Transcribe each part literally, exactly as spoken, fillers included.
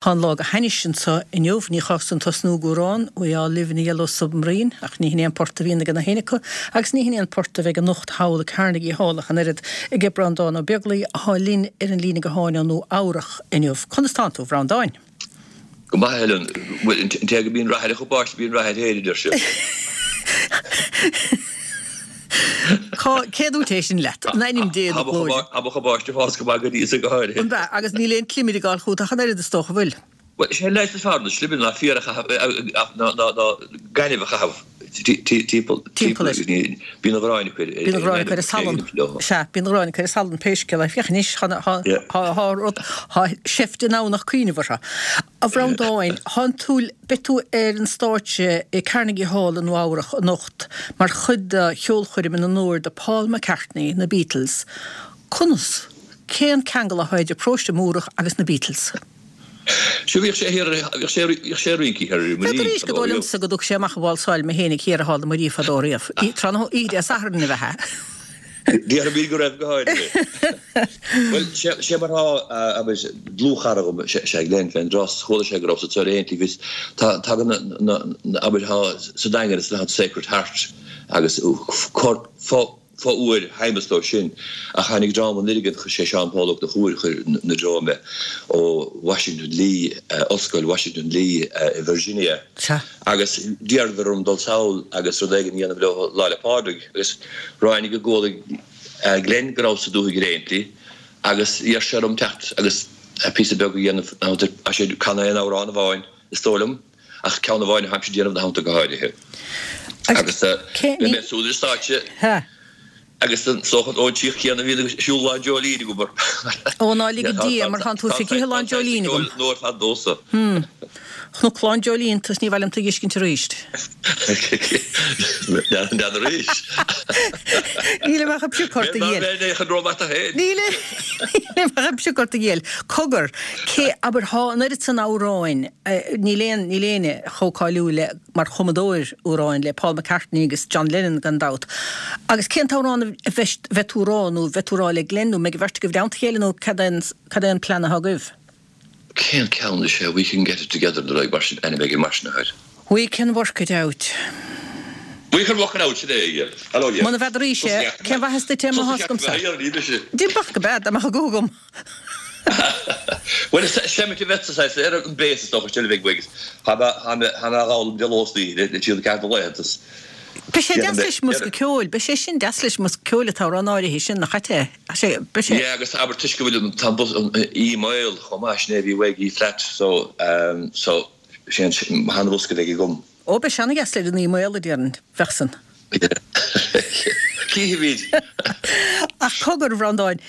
Tá an lá go hainnis anseo inniu, ní chás dom tosnú ag amhrán We all live in a yellow submarine, ach ní hin é an port a bhíonn ag na héinne acu, agus ní hin é an port a bheidh anocht thall i Carnegie Hall ach an oiread ag Breandán Ó Beaglaoi atá linn ar an líne gutháin ó Nua Eabhrach inniu. Conas tánn tú, a Bhreandáin? Go maith, a Helen. Bhuel, an té go mbíonn rath ar a chupáiste bíonn rath air féin, a deir siad. Cá, cé dúirt é sin leat? In ainm Dé na glóire. Tá mo chupáiste ag fás go maith go dtí so go háirithe. An ea? Agus níl aon chlimir ag gabháil chugat ach an oiread is dócha, bhfuil? Bhuel, is é an leigheas is fearr na slimir ná féar a chaitheamh, ná gaineamh a chaitheamh timpeall, timpeall air. Bíonn an ghráin acu ar, Bíonn an ghráin acu ar an salann. Sea, bíonn an ghráin acu ar an salann pé scéal é. Féach anois, tá, tá, tá rud, tá seift in ann ach cuimhneamh orthu. A Bhreandáin, thánn tú, beidh tú ar an stáitse i Carnegie Hall i Nua Eabhrach anocht mar chuid de cheolchoirm in onóir do Paul McCartney, na Beatles. Conas? Cén ceangal atá idir Paróiste Múrach agus na Beatles? Sea, bhíodh sé thiar, bhíodh sé, bhíodh sé ag rince thiar ar an Bheadh Muirín arís go fadó dóigh riamh. liomsa go dtug sé amach ag válsáil mé féinig thiar i Hall na Muirí fadó riamh. Tráthnóna oíche Dé Sathairn ab ea? Déarfaimid go raibh go háirithe. Bhuel, sé mar atá, abair, dlúthchara dhom, sé Glenn fén dtros, chuala sé go rabhas anso ar aon tslí, bhíos, tá, tagann na, na, abair, tá sa Daingean is an Sacred Heart agus cor, fo, fo-uair Shéamus dó sin, ach tháinig dream an Oirghill, chuir sé Seán Pól Ó Conchúir, chuir 'na dtreo mé ó Washington Lee, Ollscoil Washington Lee i Virginia. Sea. Agus d'iarradar orm dul sall agus rud éigin a dhéanamh leo Lá 'le Pádraig agus ráinig go gcuala Glenn go rabhas sa dúthaigh ar aon tslí agus d'iarr sé orm teacht agus píosa beag a dhéanamh ina theannta. Tá sé ag canadh aon amhrán amháin is dóigh liom ach ceann amháin a tháimse ag déanamh ina theannta go háirithe. Agus beidh mé suas ar stáitse. Agus is dócha ón tsíoth chéanna a bhíonn ag siúl Lá Dreoilín agam. Ó ná lige Dia mar thánn tú feicthe Lá an Dreoilín agam. Nó ar fad domhsa. Hmm. Chonac Lá an Dreoilín tú is ní mhaith liom tú a dh'fheiscint arís. N'fheadar arís. Nílim ach ag piocadh ort a Ghill. Bheinn é chun rómhat a féin. Nílim ach ag piocadh ort a Ghill. Cogar, cé, abair, thá an oiread san amhráin, níl aon, níl éinne chomh cáiliúil le mar chumadóir amhráin le Paul McCartney agus John Lennon gan dabht. Agus cén t-amhrán a bheidh tú a rá nó bheidh tú a rá le Glenn nó mbeidh an bheirt agaibh i dteannta a chéile nó cad é an cad é an plean atá agaibh? Cén ceann is ea We Can Get It Together nó rud mar sin, ainm éigin mar sin atá air. We Can Work It Out. We Can Work It Out, sin é, yeah. Hello, yeah. Muna bhfeadaraís é, cén mhaitheas duit é má thá's agamsa? D'impeach go bead, dá mbeadh a guth agam. Bhuel, seimint a bheadh sa saghas ar an bass is dócha is deilbh ag Wiggs. Tá mé á fhoghlaim de ló is d'oíche le trí nó ceathair de laethanta. Beidh sé deas leis an mbosca ceoil, beidh sé sin deas leis an mbosca ceoil an t-amhrán áirithe sin, nach ait é? Sé, beidh sé. Yeah, agus abair toisc go bhfuil an, tá an bos, an E maol chomh maith, sin é a bhí uaidh, E flat, so, so, sé an, an bosca a bheidh agam. Ó, beidh sé ana-dheas leis an E maol, a déarfainn, bheadh san. Cífimid. Ach cogar, a Bhreandáin,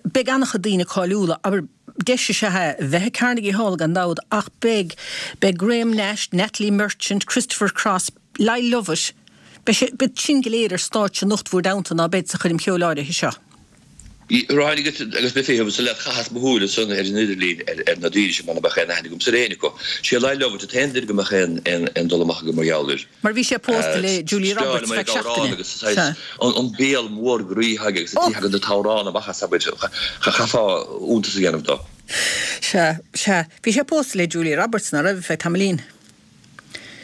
beidh an-chuid daoine cáiliúla, abair, deis is ea é a bheith i Carnegie Hall gan dabht, ach beidh, beidh Graham Nash, Natalie Merchant, Christopher Cross, Lyle Lovett, beidh sé, beidh sin go léir ar stáitse anocht bhúr dteannta, ná beid, sa choirm cheoil áirithe seo. Ráinig agus mé féin sa leath chaitheas mo shúil ansan ar an idirlíon ar na daoine sin mar ná beadh aon aithne agamsa ar éinne acu. Sé Lyle Lovett an t-aon duine go mbeadh aon dul amach agam mar gheall air. Mar bhí sé pósta le Julia Roberts feadh seachtaine. Agus saghas an béal mór groí aige agus an tslí a thagann an t-amhrán amach as, abair, chaithfeá iontas a dhéanamh dó. Sea, sea. Bhí sé pósta le Julia Roberts, ná raibh, feadh tamaillín.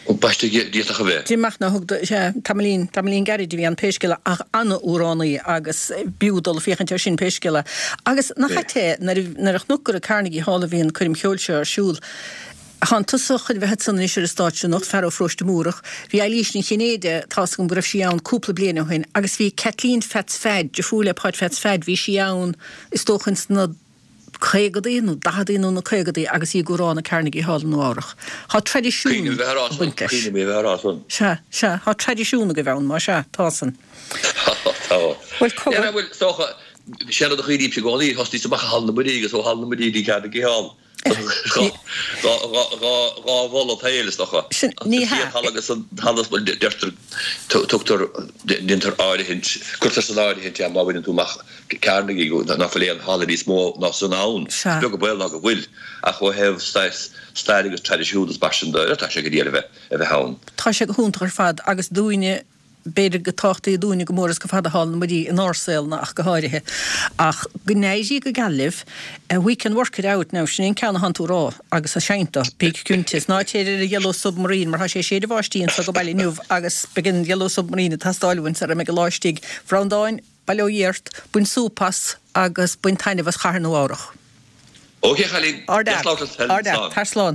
Ambaiste, d'fhéadfadh a bheith. D'imigh ná thug do, sea, tamaillín, tamaillín gairid a bhí ann pé scéal é, ach ana-amhránaí agus b'fhiú dul ag féachaint air sin pé scéal é. Agus nach ait é, nuair a, nuair a chonac gur i Carnegie Hall a bhí an coirm cheoil seo ar siúl, thánn tusa chun bheith ansan anois ar an stáitse anocht, fear ó Pharóiste Múrach, bhí Eilís Ní Chinnéide, tá's agam go raibh sí ann cúpla bliain ó shin, agus bhí Kathleen Pheaits Pheaid, deirfiúr le Páid Pheaits Pheaid, bhí sí ann is dócha ins na. caogadaí nó daicheadaí nó na caogadaí agus í ag amhrán i Carnegie Hall i Nua Eabhrach. Tá traidisiún Cuimhním a bheith á rá ag san. baint leis. Cuimhním a bheith á rá san. Sea, sea, tá traidisiún agaibh ann, má sea, tá san. Tá, tá. Bhuel, cogar. Bhuel, is dócha, sé rud a chuimhnímse i gcónaí, thosnaíos amach i Halla na Muirí agus ó Halla na Muirí go dtí Carnegie Hall. Dhá, dhá, dhá, dhá mholadh tsaoil, is dócha. Sin, ní An hea. chéad halla agus an halla, deirtear, tugtar, déantar áirithint, cuirtear san áirithint é má bhaineann tú amach Carnegie, ná fuil aon halla níos mó ná san ann. Is Sea. beag an baol ná go bhfuil, ach ó thaobh saghas stair agus traidisiún is mar sin de, tá sé go diail a bheith, a bheith ann. Tá sé go hiontach ar fad agus dúinne b'fhéidir go tábhachtaí dúinne go mór is go fada thall na muirí inár saolna ach go háirithe. Ach go n-éirí go geal libh, we can work it out now, sin é an ceann atánn tú a rá agus a seinnt dó, bí cinnte, is ná téir ar an Yellow Submarine mar tá sé ag séideadh báistí anso go baile inniu agus beidh an Yellow Submarine ag teastáil uainn sara mbeidh an lá istigh. A Bhreandáin, bail ó Dhia ort, bain súp as agus bain taitneamh as Chathair Nua Eabhrach. Ok, a chailín, Ard fhear, ard fhear, tar slán.